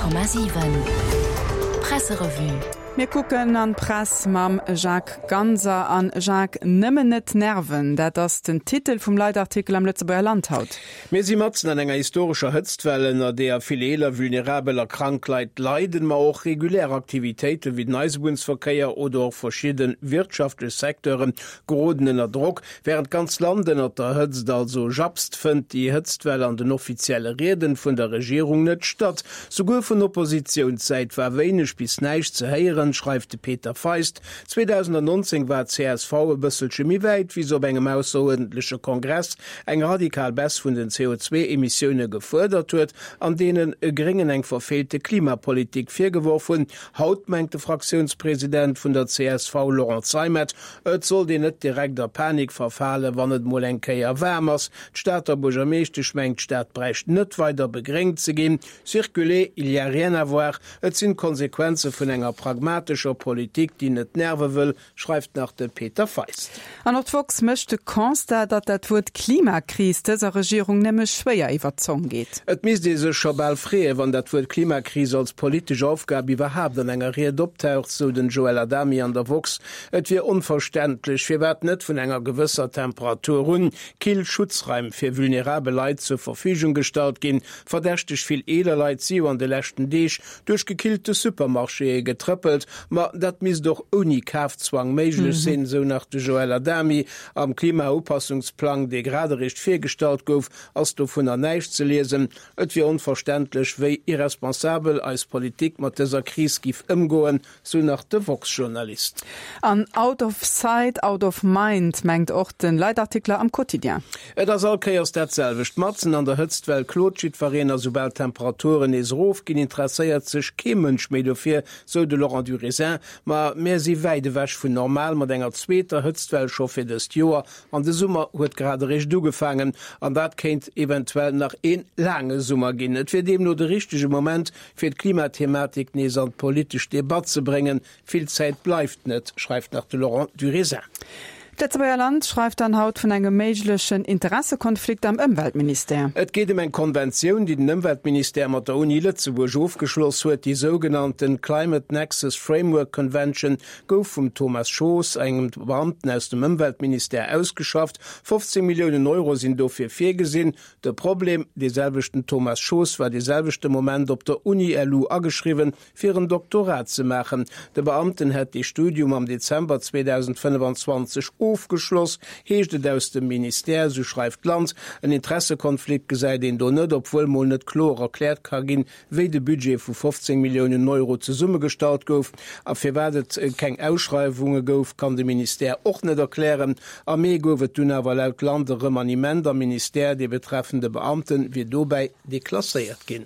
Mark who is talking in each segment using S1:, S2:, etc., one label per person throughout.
S1: 100,7 Presserevue.
S2: Mir kucken an d'Press mam Jacques Ganser. An Jacques, nëmmen net nerven, dat ass den Titel vum Leitartikel am Lëtzebuerger Land haut.
S3: Mir si matzen an enger historescher Hëtztwell, ënner deeër vill eeler, vulnerabel a krank Leit leiden, ma och regulär Aktivitéiten, wéi den Eisebunnsverkéier oder och verschidde wirtschaftlech Secteure geroden ënner Drock. Wärend d'ganz Land ënnert der Hëtzt also japst, fënnt déi Hëtztwell an den offizielle Rieden vun der Regierung net statt. Souguer vun Oppositiounssäit war wéineg bis näischt ze héieren, schreift de Peter Feist. 2019 war csv e bësselche méi wäit, wéi se op engem ausseruerdentleche Kongress eng radikal Baisse vun den CO2-Emissioune gefuerdert huet an deene Gréngen eng verfeelte Klimapolitik virgeworf hunn. Haut mengt de Fraktiounspresident vun der csv Laurent Zeimet, Et sollt een net direkt a Panik verfalen, wann et mol eng Kéier waarm ass. D'Stater Buergermeeschtesch mengt, d'Stad bräicht net weider begréngt ze ginn. Circuler, il y a rien à voir. Et sinn d'Konsequenze vun enger pragmatescher Politik, déi net nerve wëll, schreift nach de Peter Feist.
S2: An och d'woxx mécht de Constat, datt dat Wuert Klimakris dëser Regierung nëmme schwéier iwwer d'Zong geet.
S3: Et misst ee sech scho bal freeën, wann dat Wuert Klimakris als politesch Aufgab iwwerhaapt an enger Ried optaucht, sou den Joël Adami an der woxx. Et wier onverständlech, firwat net vun enger gewësser Temperatur un kill Schutzraim fir vulnerabel Leit zur Verfügung gestallt ginn. Verdächteg vill eeler Leit si jo an de leschten Deeg duerch gekillte Supermarchéë getrëppelt. Ma dat misst och ouni Kafzwang méiglech sinn, sou nach de Joël Adami. Am Klimaupassungsplang, dee grad eréischt virgestallt gouf, ass dovunner näischt ze liesen. Et wier onverständlech, wéi irresponsabel eis Politik mat dëser Kris giff ëmgoen, Sou nach de woxx-Journalist.
S2: An out of sight, out of mind, mengt och de Leitartikler am Quotidien.
S3: Et ass all Kéiers dat selwecht. Matzen an der Hëtztwell klot jiddwereen a soubal d'Temperaturen nees erof ginn, interesséiert sech kee Mënsch méi dofir, sou de Laurent Durésin. Ma mär si wäit ewech vun normal mat enger zweeter Hëtztwell scho fir dëst Joer. An de Summer huet grad eréischt ugefaangen an dat kéint eventuell nach een laange Summer ginn. Et wier deemno de richtege Moment, fir d'Klimathematik nees an d'politesch Debatt ze bréngen. Vill Zäit bleift net, schreift nach de Laurent Durésin.
S2: D'Lëtzebuerger Land schreift dann haut vun engem méiglechen Interessekonflikt am Ëmweltministère.
S3: Et geet ëm eng Konventioun, déi den Ëmweltministère mat der Uni Lëtzebuerg ofgeschloss huet. Déi sougenannten Climate Nexus Framework Convention gouf vum Thomas Schoos, engem Beamten aus dem Ëmweltministère, ausgeschafft. 15 Milliounen Euro sinn dofir virgesinn. De Problem, Dee selwechten Thomas Schoos war dee selwechte Moment op der Uni-LU ageschriwwen, fir en Doktorat ze maachen. De Beamten hätt dee Studium am Dezember 2025 ofgeschloss, heescht et aus dem Ministère, sou schreift d'Land. En Interessekonflikt gesäit een do net, obwuel mol net kloer erkläert ka ginn, wéi de Budget vu 15 Milliounen Euro zesummegestallt gouf a firwat et keng Ausschreiwunge gouf, kann de Ministère och net erklären. Am Mee gouf et dunn awer laut Land e Remaniement am Ministère, dee betreffende Beamte wier dobäi deklasséiert ginn.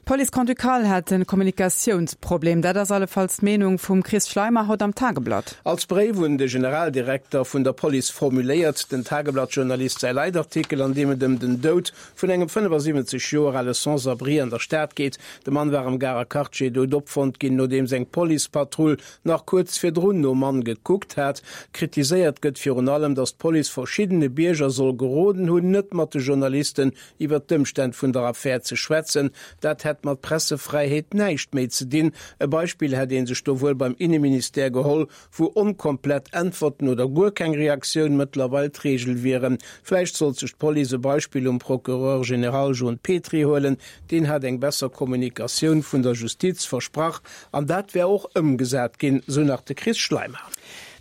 S2: D'Police grand-ducale hätt e Kommunikatiounsproblem, dat ass allefalls d'Meenung vum Chris Schleimer haut am Tageblatt.
S3: Als Bréif un de Generaldirekter vun der Police formuléiert den Tageblatt-Journalist säi Leitartikel, an deem et ëm den Doud vun engem 75 Joer ale Sans-abri an der Stad geet. De Mann war am Garer Quartier dout opfonnt ginn, nodeems eng Policepatrull nach kuerz virdrun nom Mann gekuckt hat. Kritiséiert gëtt virun allem, datt d'Police verschiddene Bierger soll geroden hunn, net mat de Journalisten iwwer d'Ëmstänn vun der Affär ze schwätzen. Dat hätt mat Pressefräiheet näischt méi ze dinn. E Beispill hätt ee sech do wuel beim Inneministère geholl, wou onkomplett Äntwerten oder guer keng Reaktioun mëttlerweil d'Reegel wieren. Vläicht sollt sech d'Police e Beispill um Procureur général Jon Petry huelen, deen hat eng besser Kommunikatioun vun der Justiz versprach an dat wär och ëmgesat ginn, sou nach de Chris Schleimer.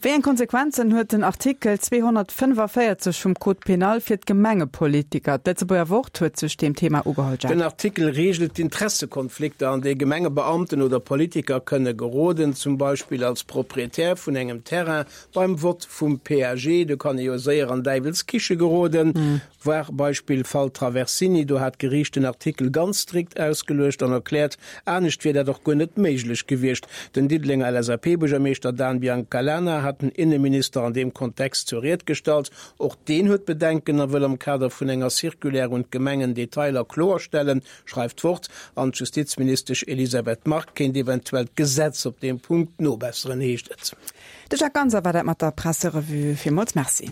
S2: Wéi eng Konsequenzen huet den Artikel 245 vum Code pénal fir d'Gemengepolitiker? D'Lëtzebuerger Wort huet sech deem Thema ugeholl. Jacques.
S3: Den Artikel reegelt d'Intressekonflikter, an déi Gemengebeamten oder Politiker kënne geroden, zum Beispill als Proprietär vun engem Terrain beim Vott vum PAG. Do kann ee jo séier an Däiwels Kiche geroden. Voir Beispill Fall Traversini, do hat d'Geriicht den Artikel ganz strikt ausgeluecht an erkläert, anescht wier dat och guer net méiglech gewiescht. Den Diddelenger LSAP-Buergermeeschter Dan Biancalana hat den Inneminister an deem Kontext zur Ried gestallt. Och deen huet Bedenken a wëll am Kader vun enger Circulaire un d'Gemengen Detailer kloerstellen, schreift d'Wort. An d'Justizministesch Elisabeth Margue kéint eventuell d'Gesetz op deem Punkt nobesseren, heescht et.
S2: De Jacques Ganser war dat mat der Presserevue. Villmools Merci.